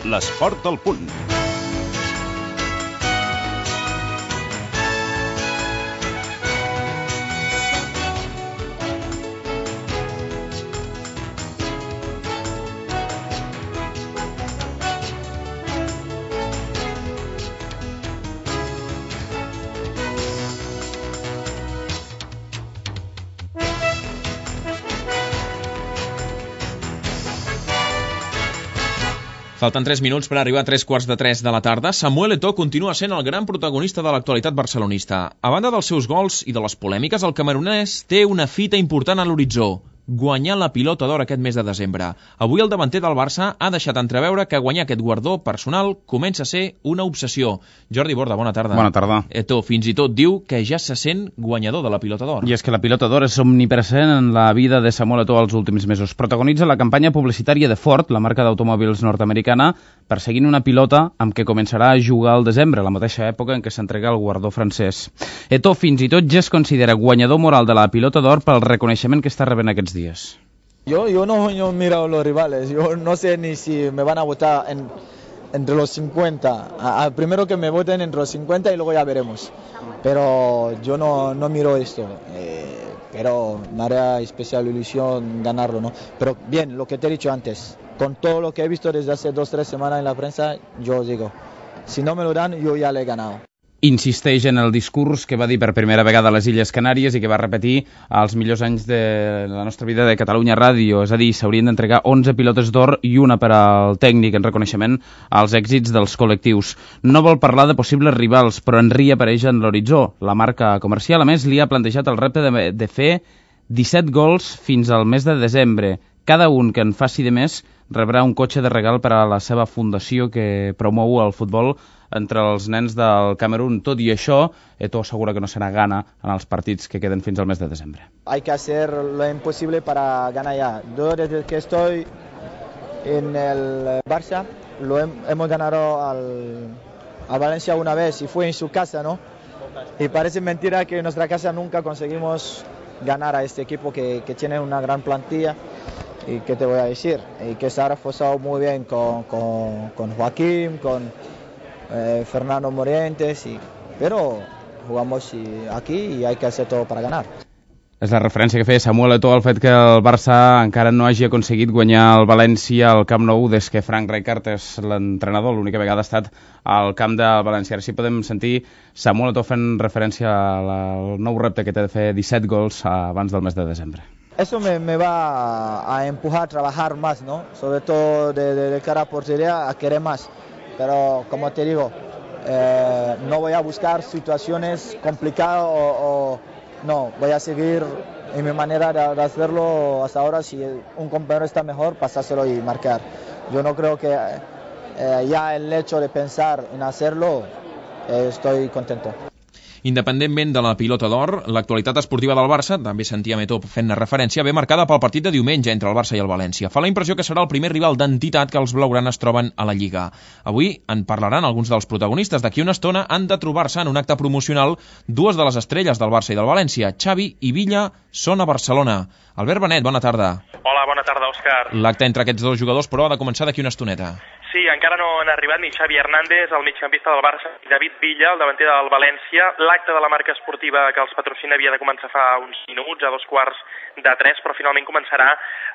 L'esport al punt. Falten 3 minuts per arribar a 3:15 de la tarda. Samuel Eto'o continua sent el gran protagonista de l'actualitat barcelonista. A banda dels seus gols i de les polèmiques, el camerunès té una fita important a l'horitzó: guanyar la Pilota d'Or aquest mes de desembre. Avui el davanter del Barça ha deixat entreveure que guanyar aquest guardó personal comença a ser una obsessió. Jordi Borda, bona tarda. Bona tarda. Eto'o fins i tot diu que ja se sent guanyador de la Pilota d'Or. I és que la Pilota d'Or és omnipresent en la vida de Samuel Eto'o els últims mesos. Protagonitza la campanya publicitària de Ford, la marca d'automòbils nord-americana, perseguint una pilota amb què començarà a jugar al desembre, la mateixa època en què s'entrega el guardó francès. Eto'o fins i tot ja es considera guanyador moral de la Pilota d'Or pel reconeixement que està rebent aquests dies. Yo no miro los rivales, yo no sé ni si me van a votar entre los 50. Primero que me voten entre los 50 y luego ya veremos. Pero yo no miro esto, pero me hará especial ilusión ganarlo, ¿no? Pero bien, lo que te he dicho antes, con todo lo que he visto desde hace 2 o 3 semanas en la prensa, yo digo, si no me lo dan, yo ya le he ganado. Insisteix en el discurs que va dir per primera vegada a les Illes Canàries i que va repetir als millors anys de la nostra vida de Catalunya Ràdio. És a dir, s'haurien d'entregar 11 pilotes d'or i una per al tècnic en reconeixement als èxits dels col·lectius. No vol parlar de possibles rivals, però Henry apareix en l'horitzó. La marca comercial, a més, li ha plantejat el repte de fer 17 gols fins al mes de desembre. Cada un que en faci de més rebrà un cotxe de regal per a la seva fundació que promou el futbol entre els nens del Camerún. Tot i això, Eto'o assegura que no serà gana en els partits que queden fins al mes de desembre. Hay que hacer lo imposible para ganar ya. Yo desde que estoy en el Barça, hemos ganado a Valencia una vez y fue en su casa, ¿no? Y parece mentira que en nuestra casa nunca conseguimos ganar a este equipo que tiene una gran plantilla. ¿Y qué te voy a decir? Y que se ha reforzado muy bien con Joaquín, con Fernando Morientes, pero jugamos aquí y hay que hacer todo para ganar. És la referència que feia Samuel Eto'o al fet que el Barça encara no hagi aconseguit guanyar el València al Camp Nou des que Frank Rijkaard és l'entrenador. L'única vegada ha estat al camp del València. Ara sí podem sentir Samuel Eto'o fent referència al nou repte que té de fer 17 gols abans del mes de desembre. Eso me va a empujar a trabajar más, ¿no? Sobre todo de cara a portería, a querer más. Pero como te digo, no voy a buscar situaciones complicadas no, voy a seguir en mi manera de hacerlo hasta ahora. Si un compañero está mejor, pasárselo y marcar. Yo no creo que ya el hecho de pensar en hacerlo, estoy contento. Independentment de la Pilota d'Or, l'actualitat esportiva del Barça, també sentíem Eto'o fent-ne referència, ve marcada pel partit de diumenge entre el Barça i el València. Fa la impressió que serà el primer rival d'entitat que els blaugranes troben a la Lliga. Avui en parlaran alguns dels protagonistes. D'aquí una estona han de trobar-se en un acte promocional dues de les estrelles del Barça i del València. Xavi i Villa són a Barcelona. Albert Benet, bona tarda. Hola, bona tarda, Òscar. L'acte entre aquests dos jugadors, però, ha de començar d'aquí una estoneta. Sí, encara no han arribat ni Xavi Hernández, el migcampista del Barça, ni David Villa, el davanter del València. L'acte de la marca esportiva que els patrocina havia de començar fa uns minuts, a 2:45, però finalment començarà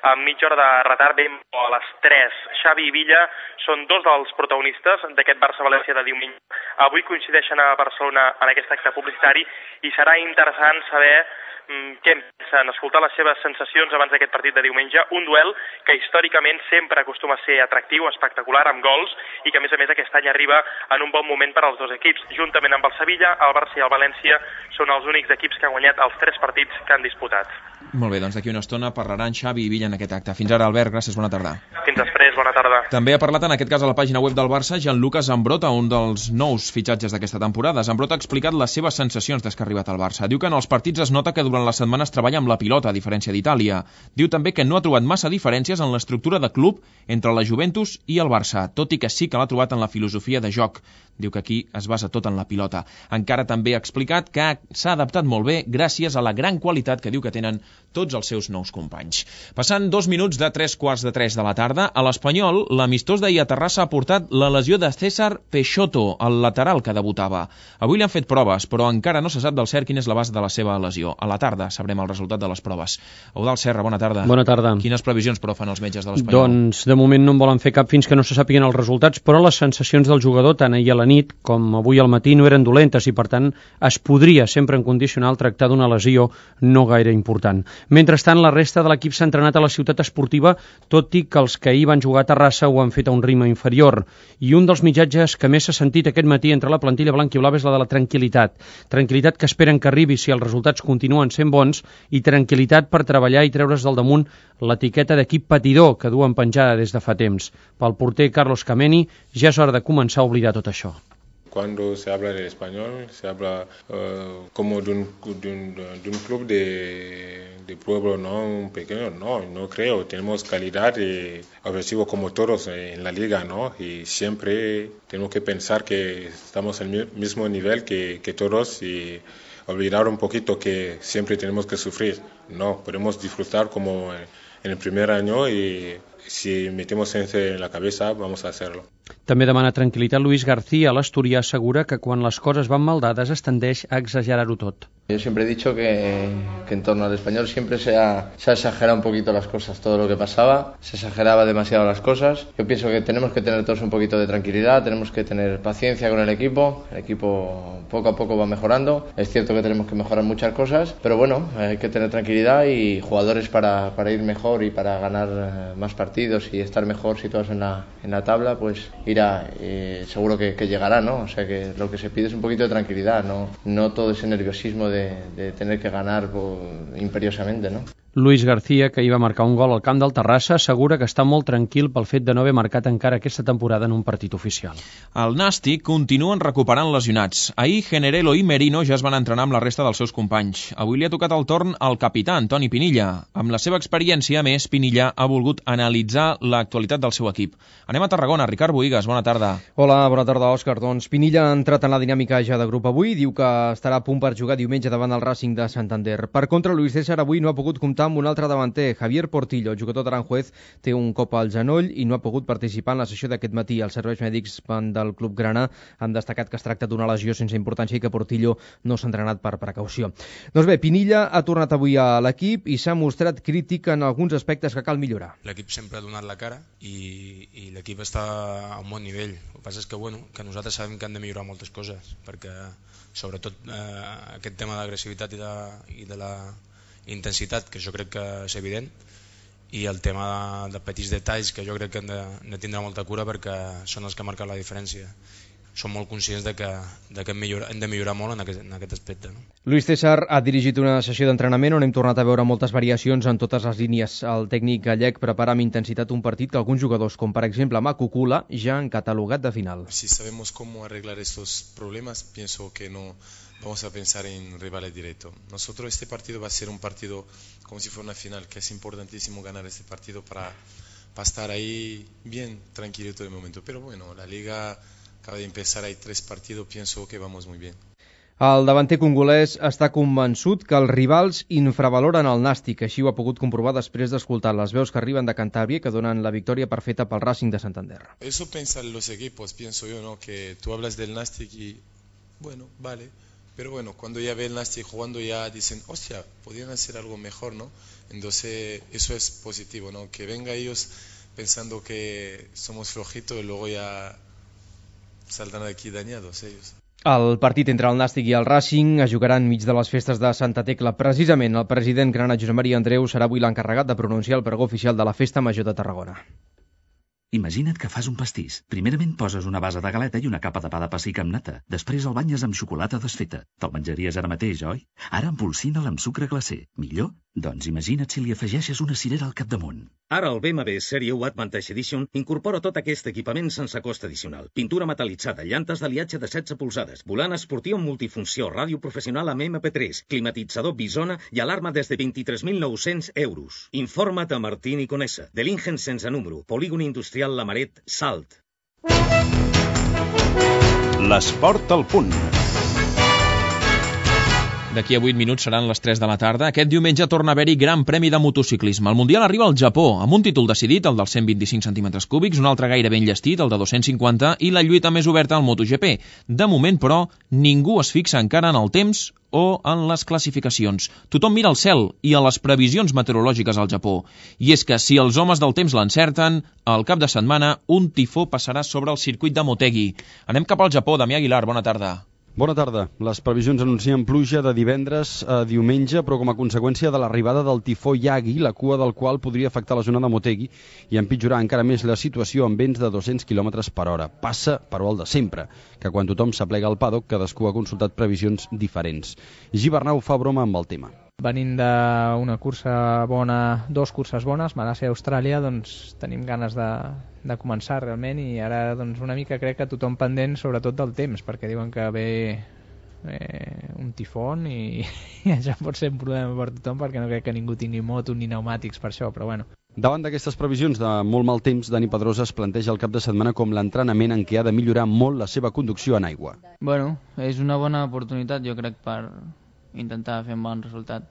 amb mitja hora de retard, ben a les 3. Xavi i Villa són dos dels protagonistes d'aquest Barça-València de diumenge. Avui coincideixen a Barcelona en aquest acte publicitari i serà interessant saber què pensen, escoltar les seves sensacions abans d'aquest partit de diumenge, un duel que històricament sempre acostuma a ser atractiu, espectacular, amb gols, i que a més aquest any arriba en un bon moment per als dos equips. Juntament amb el Sevilla, el Barça i el València són els únics equips que han guanyat els 3 partits que han disputat. Molt bé, doncs d'aquí una estona parlaran Xavi i Villa en aquest acte. Fins ara, Albert, gràcies, bona tarda. Fins després, bona tarda. També ha parlat en aquest cas a la pàgina web del Barça Gianluca Zambrotta, un dels nous fitxatges d'aquesta temporada. Zambrotta ha explicat les seves sensacions des que ha arribat al Barça. Diu que en els partits es nota que durant les setmanes treballa amb la pilota, a diferència d'Itàlia. Diu també que no ha trobat massa diferències en l'estructura de club entre la Juventus i el Barça, tot i que sí que l'ha trobat en la filosofia de joc. Diu que aquí es basa tot en la pilota. Encara també ha explicat que s'ha adaptat molt bé gràcies a la gran qualitat que diu que tenen tots els seus nous companys. Passant 2 minuts de 3:45 de la tarda, a l'Espanyol, l'amistós d'ahir a Terrassa ha portat la lesió de César Peixoto, el lateral que debutava. Avui li han fet proves, però encara no se sap del cert quin és l'abast de la seva lesió. A la tarda sabrem el resultat de les proves. Eudald Serra, bona tarda. Bona tarda. Quines previsions, però, fan els metges de l'Espanyol? Doncs, de moment no en volen fer cap fins que no se sàpiguen els resultats, però les sensacions del jugador, tant ahir a la nit com avui al matí, no eren dolentes i, per tant, es podria, sempre en condicional, tractar d'una lesió no gaire important. Mentrestant, la resta de l'equip s'ha entrenat a la ciutat esportiva, tot i que els que ahir van jugar a Terrassa ho han fet a un ritme inferior. I un dels missatges que més s'ha sentit aquest matí entre la plantilla blanc-i-blava és la de la tranquil·litat. Tranquil·litat que esperen que arribi si els resultats continuen sent bons i tranquil·litat per treballar i treure's del damunt l'etiqueta d'equip patidor que duen penjada des de fa temps. Pel porter Carlos Kameni ja és hora de començar a oblidar tot això. Cuando se habla del español, se habla como de un club de pueblo, no un pequeño, no creo. Tenemos calidad y objetivo como todos en la liga, ¿no? Y siempre tenemos que pensar que estamos al mismo nivel que todos y olvidar un poquito que siempre tenemos que sufrir. No, podemos disfrutar como en el primer año y si metemos en la cabeza vamos a hacerlo. També demana tranquil·litat Luis García. L'asturià assegura que quan les coses van mal dades es tendeix a exagerar-ho tot. Yo siempre he dicho que en torno al español siempre se ha exagerado un poquito las cosas, todo lo que pasaba, se exageraba demasiado las cosas. Yo pienso que tenemos que tener todos un poquito de tranquilidad, tenemos que tener paciencia con el equipo poco a poco va mejorando, es cierto que tenemos que mejorar muchas cosas, pero bueno, hay que tener tranquilidad y jugadores para ir mejor y para ganar más partidos y estar mejor situados en la tabla, pues irá, seguro que llegará, ¿no? O sea que lo que se pide es un poquito de tranquilidad, no todo ese nerviosismo de tener que ganar imperiosamente, ¿no? Luis García, que hi va marcar un gol al camp del Terrassa, assegura que està molt tranquil pel fet de no haver marcat encara aquesta temporada en un partit oficial. El Nàstic continuen recuperant lesionats. Ahir Generelo i Merino ja es van entrenar amb la resta dels seus companys. Avui li ha tocat el torn al capità, Antoni Pinilla. Amb la seva experiència, a més, Pinilla ha volgut analitzar l'actualitat del seu equip. Anem a Tarragona. Ricard Bohigas, bona tarda. Hola, bona tarda, Òscar. Doncs Pinilla ha entrat en la dinàmica ja de grup avui. Diu que estarà a punt per jugar diumenge davant el Racing de Santander. Per contra, Luis César avui no ha pogut comptar amb un altre davanter, Javier Portillo. El jugador d'Aranjuez té un cop al genoll i no ha pogut participar en la sessió d'aquest matí. Els serveis mèdics del club grana han destacat que es tracta d'una lesió sense importància i que Portillo no s'ha entrenat per precaució. Doncs bé, Pinilla ha tornat avui a l'equip i s'ha mostrat crític en alguns aspectes que cal millorar. L'equip sempre ha donat la cara i l'equip està a un bon nivell. El que passa és que, que nosaltres sabem que han de millorar moltes coses, perquè sobretot aquest tema d'agressivitat i de la intensitat, que jo crec que és evident, i el tema de petits detalls que jo crec que hem de tindre molta cura perquè són els que marquen la diferència. Som molt conscients de que hem de millorar molt en aquest aspecte. No? Luis César ha dirigit una sessió d'entrenament on hem tornat a veure moltes variacions en totes les línies. El tècnic gallec prepara amb intensitat un partit que alguns jugadors, com per exemple Macucula, ja han catalogat de final. Si sabemos cómo arreglar estos problemas, pienso que no vamos a pensar en rivales directos. Nosotros este partido va a ser un partido como si fuera una final, que es importantísimo ganar este partido para estar ahí bien tranquilo todo el momento. Pero bueno, la liga acaba de empezar, hay 3 partidos, pienso que vamos muy bien. El davanter congolès està convençut que els rivals infravaloren el Nàstic. Així ho ha pogut comprovar després d'escoltar les veus que arriben de Cantàbria que donen la victòria perfeta pel Racing de Santander. Eso piensan los equipos, pienso yo, ¿no? Que tú hablas del Nàstic y, bueno, vale. Pero bueno, cuando ya ve el Nàstic jugando ya dicen, hostia, podrían hacer algo mejor, ¿no? Entonces eso es positivo, ¿no? Que venga ellos pensando que somos flojitos y luego ya saltan aquí dañados ellos. El partit entre el Nàstic i el Racing es jugarà enmig de les festes de Santa Tecla. Precisament, el president grana Josep Maria Andreu serà avui l'encarregat de pronunciar el pregó oficial de la Festa Major de Tarragona. Imagina't que fas un pastís. Primerament poses una base de galeta i una capa de pa de pessic amb nata. Després el banyes amb xocolata desfeta. Te'l menjaries ara mateix, oi? Ara empolsina'l amb sucre glacer. Millor? Doncs imagina't si li afegeixes una cirera al capdamunt. Ara el BMW Serie 1 Advantage Edition incorpora tot aquest equipament sense cost addicional. Pintura metal·litzada, llantes d'aliatge de 16 polzades, volant esportiu amb multifunció, ràdio professional amb MP3, climatitzador Bisona i alarma des de 23.900 euros. Informa't a Martín i Conesa. De l'Ingen sense número, Polígon Industrial Lamaret, Salt. L'esport al punt. D'aquí a 8 minuts seran les 3 de la tarda. Aquest diumenge torna a haver-hi Gran Premi de motociclisme. El Mundial arriba al Japó, amb un títol decidit, el dels 125 centímetres cúbics, un altre gaire ben llestit, el de 250, i la lluita més oberta al MotoGP. De moment, però, ningú es fixa encara en el temps o en les classificacions. Tothom mira al cel i a les previsions meteorològiques al Japó. I és que si els homes del temps l'encerten, al cap de setmana un tifó passarà sobre el circuit de Motegi. Anem cap al Japó. Damià Aguilar, bona tarda. Bona tarda. Les previsions anuncien pluja de divendres a diumenge, però com a conseqüència de l'arribada del tifó Yagi, la cua del qual podria afectar la zona de Motegi i empitjorar encara més la situació amb vents de 200 km per hora. Passa, però el de sempre, que quan tothom s'aplega al paddock, cadascú ha consultat previsions diferents. Gibernau fa broma amb el tema. Venint d'una cursa bona, 2 curses bones, Malàisia i Austràlia, doncs tenim ganes de començar realment, i ara doncs una mica crec que tothom pendent sobretot del temps, perquè diuen que ve un tifón i això pot ser un problema per tothom, perquè no crec que ningú tingui moto ni pneumàtics per això, però bueno. Davant d'aquestes previsions de molt mal temps, Dani Pedrosa es planteja el cap de setmana com l'entrenament en què ha de millorar molt la seva conducció en aigua. Bueno, és una bona oportunitat, jo crec, per intentar fer un bon resultat.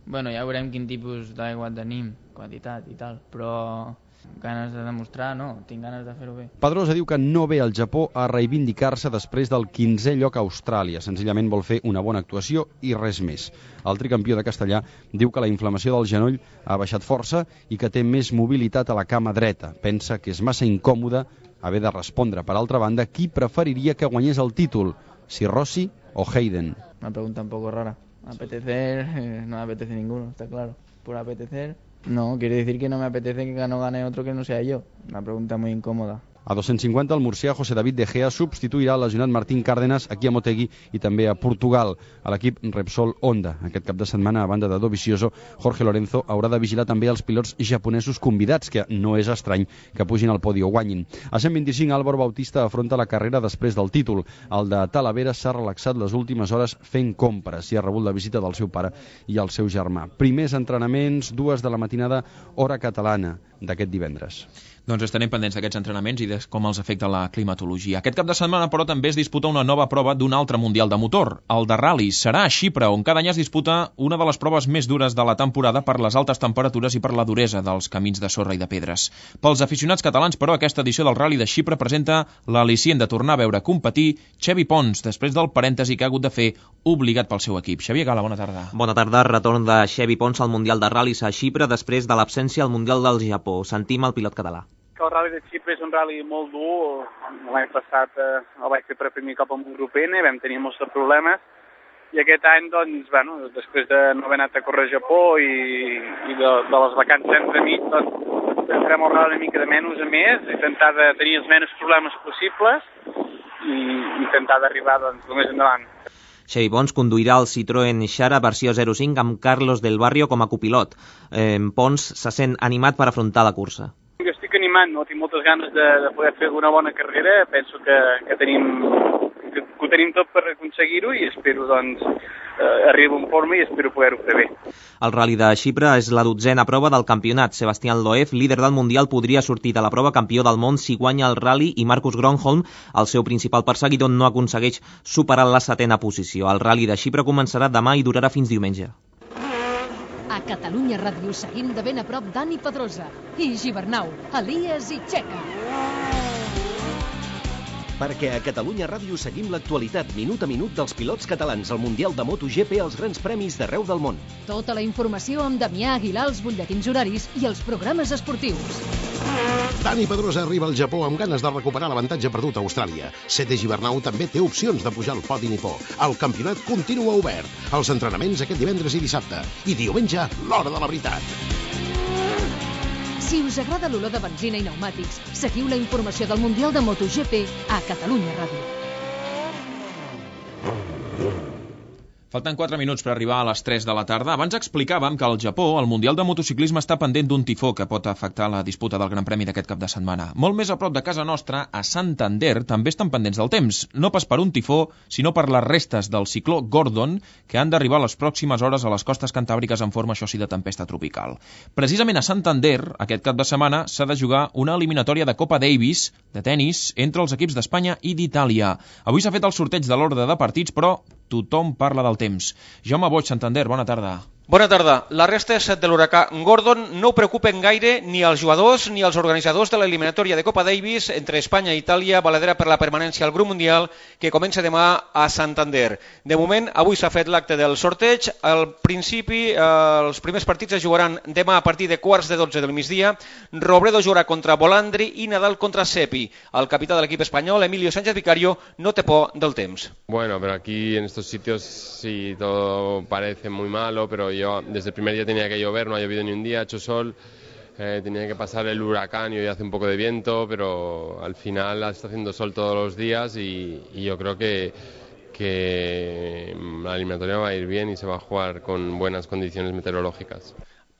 Bueno, ja veurem quin tipus d'aigua tenim, quantitat i tal, però ganes de demostrar, no, tinc ganes de fer-ho bé. Pedrosa diu que no ve al Japó a reivindicar-se després del 15è lloc a Austràlia, senzillament vol fer una bona actuació i res més. El tricampió de Castellà diu que la inflamació del genoll ha baixat força i que té més mobilitat a la cama dreta. Pensa que és massa incòmode haver de respondre. Per altra banda, qui preferiria que guanyés el títol, si Rossi o Hayden? Una pregunta un poco rara. Apetecer, no me apetece ninguno, está claro. Por apetecer, no, quiere decir que no me apetece que no gane otro que no sea yo. Una pregunta muy incómoda. A 250, el murcià José David De Gea substituirà el lesionat Martín Cárdenas aquí a Motegi i també a Portugal, a l'equip Repsol Honda. Aquest cap de setmana, a banda de Dovizioso, Jorge Lorenzo haurà de vigilar també els pilots japonesos convidats, que no és estrany que pugin al podi o guanyin. A 125, Álvaro Bautista afronta la carrera després del títol. El de Talavera s'ha relaxat les últimes hores fent compres i ha rebut la visita del seu pare i el seu germà. Primers entrenaments, 2 de la matinada, hora catalana d'aquest divendres. Doncs estarem pendents d'aquests entrenaments i de com els afecta la climatologia. Aquest cap de setmana, però, també es disputa una nova prova d'un altre mundial de motor, el de ral·lis. Serà a Xipre, on cada any es disputa una de les proves més dures de la temporada per les altes temperatures i per la duresa dels camins de sorra i de pedres. Pels aficionats catalans, però, aquesta edició del Rally de Xipre presenta l'al·licient de tornar a veure competir Xevi Pons, després del parèntesi que ha hagut de fer obligat pel seu equip. Xavier Gala, bona tarda. Bona tarda. Retorn de Xevi Pons al Mundial de Ral·lis a Xipre després de l'absència al Mundial del Japó. Sentim el pilot català. El Rally de Xipre és un rally molt dur. L'any passat el vaig fer per primer cop amb un grup N, vam tenir molts problemes, i aquest any, doncs, bueno, després de no haver anat a córrer a Japó i de les vacances entremig, doncs farem el rally una mica de menys a més, intentar de tenir els menys problemes possibles i intentar d'arribar, doncs, el més endavant. Xevi Pons conduirà el Citroën Xara versió 05 amb Carlos del Barrio com a copilot. Pons se sent animat per afrontar la cursa. Jo estic animant, no? Tinc moltes ganes de poder fer una bona carrera, penso que ho tenim tot per aconseguir-ho i espero, doncs, arribar en forma i espero poder-ho fer bé. El Rally de Xipre és la 12a prova del campionat. Sebastián Loeb, líder del Mundial, podria sortir de la prova campió del món si guanya el Rally i Marcus Gronholm, el seu principal perseguidor, no aconsegueix superar la 7a posició. El Rally de Xipre començarà demà i durarà fins diumenge. A Catalunya Ràdio seguim de ben a prop Dani Pedrosa i Gibernau, Elias i Txeca. Perquè a Catalunya Ràdio seguim l'actualitat minut a minut dels pilots catalans al Mundial de MotoGP als grans premis d'arreu del món. Tota la informació amb Damià Aguilar, els butlletins horaris i els programes esportius. Dani Pedrosa arriba al Japó amb ganes de recuperar l'avantatge perdut a Austràlia. Sete Gibernau també té opcions de pujar al podi nipó. El campionat continua obert. Els entrenaments aquest divendres i dissabte. I diumenge, l'hora de la veritat. Si us agrada l'olor de benzina i pneumàtics, seguiu la informació del Mundial de MotoGP a Catalunya Ràdio. Falten 4 minuts per arribar a les 3 de la tarda. Abans explicàvem que al Japó el Mundial de Motociclisme està pendent d'un tifó que pot afectar la disputa del Gran Premi d'aquest cap de setmana. Molt més a prop de casa nostra, a Santander, també estan pendents del temps. No pas per un tifó, sinó per les restes del cicló Gordon, que han d'arribar a les pròximes hores a les costes cantàbriques en forma, això sí, de tempesta tropical. Precisament a Santander, aquest cap de setmana, s'ha de jugar una eliminatòria de Copa Davis, de tennis, entre els equips d'Espanya i d'Itàlia. Avui s'ha fet el sorteig de l'ordre de partits, però tothom parla del temps. Jaume Boig, Santander, bona tarda. Bona tarda. Les restes de l'huracà Gordon no preocupen gaire ni als jugadors ni als organitzadors de l'eliminatòria de Copa Davis entre Espanya i Itàlia, valedera per la permanència al grup mundial, que comença demà a Santander. De moment, avui s'ha fet l'acte del sorteig. Al principi, els primers partits es jugaran demà a partir de 11:15 del migdia. Robredo jugarà contra Volandri i Nadal contra Seppi. El capità de l'equip espanyol, Emilio Sánchez Vicario, no té por del temps. Bueno, pero aquí en estos sitios sí todo parece muy malo, pero yo desde el primer día tenía que llover, no ha llovido ni un día, ha hecho sol, tenía que pasar el huracán y hoy hace un poco de viento, pero al final está haciendo sol todos los días y yo creo que la eliminatoria va a ir bien y se va a jugar con buenas condiciones meteorológicas.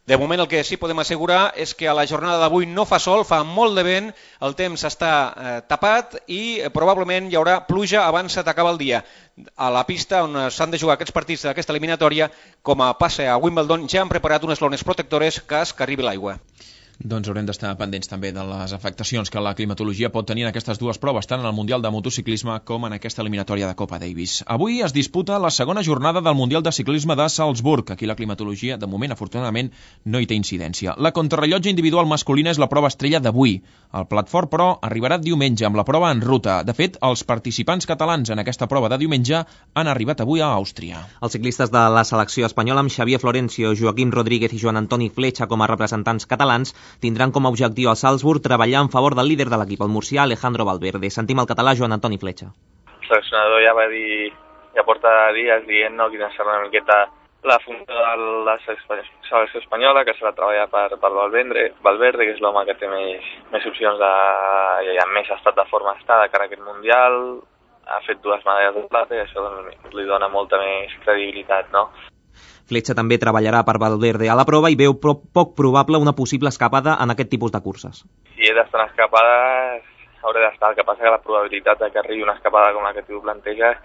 De moment el que sí podem assegurar és que a la jornada d'avui no fa sol, fa molt de vent, el temps està tapat i probablement hi haurà pluja abans d'acabar el dia. A la pista on s'han de jugar aquests partits d'aquesta eliminatòria, com a passe a Wimbledon, ja han preparat unes lones protectores cas que arribi l'aigua. Doncs haurem d'estar pendents també de les afectacions que la climatologia pot tenir en aquestes dues proves, tant en el Mundial de Motociclisme com en aquesta eliminatòria de Copa Davis. Avui es disputa la segona jornada del Mundial de Ciclisme de Salzburg. Aquí la climatologia, de moment, afortunadament, no hi té incidència. La contrarrellotge individual masculina és la prova estrella d'avui. El plat fort, però, arribarà diumenge amb la prova en ruta. De fet, els participants catalans en aquesta prova de diumenge han arribat avui a Àustria. Els ciclistes de la selecció espanyola, amb Xavier Florencio, Joaquim Rodríguez i Joan Antoni Fletxa com a representants catalans, tindran com a objectiu al Salzburg treballar en favor del líder de l'equip, el murcià Alejandro Valverde. Sentim el català Joan Antoni Fletxa. El seleccionador ja va dir, ja porta dies dient quina serà una miqueta la funció de la selecció espanyola, que serà treballar per Valverde, que és l'home que té més opcions i amb més estat de forma de cara a aquest Mundial. Ha fet 2 medalles de plata i això li dona molta més credibilitat, no? Fletxa també treballarà per Valverde a la prova i veu poc probable una possible escapada en aquest tipus de curses. Si he d'estar en escapades, hauré d'estar. El que passa que la probabilitat de que arribi una escapada com la que tu planteges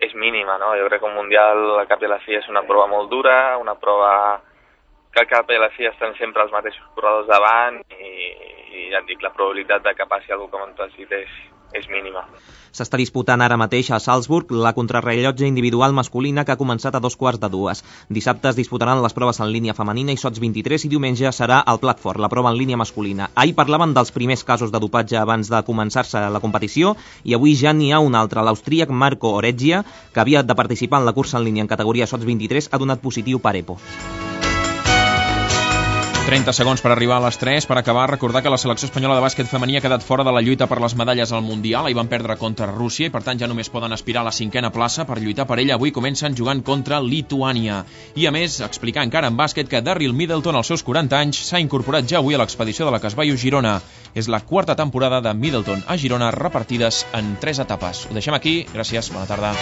és mínima, no? Jo crec que un Mundial al cap de la fi és una prova molt dura, una prova que al cap de la fi estan sempre els mateixos corredors davant i ja et dic, la probabilitat de que passi alguna cosa com tu has dit és mínima. S'està disputant ara mateix a Salzburg la contrarrellotge individual masculina que ha començat a 2:15. Dissabte es disputaran les proves en línia femenina i sots 23 i diumenge serà el plat fort, la prova en línia masculina. Ahir parlaven dels primers casos de dopatge abans de començar-se la competició i avui ja n'hi ha un altre. L'austríac Marco Oreggia, que havia de participar en la cursa en línia en categoria sots 23, ha donat positiu per EPO. 30 segons per arribar a les 3. Per acabar, recordar que la selecció espanyola de bàsquet femení ha quedat fora de la lluita per les medalles al Mundial. Ahir van perdre contra Rússia i per tant ja només poden aspirar a la 5a plaça. Per lluitar per ella avui comencen jugant contra Lituània. I a més, explicar encara en bàsquet que Daryl Middleton, als seus 40 anys, s'ha incorporat ja avui a l'expedició de la Casballo Girona. És la 4a temporada de Middleton a Girona, repartides en 3 etapes. Ho deixem aquí. Gràcies. Bona tarda.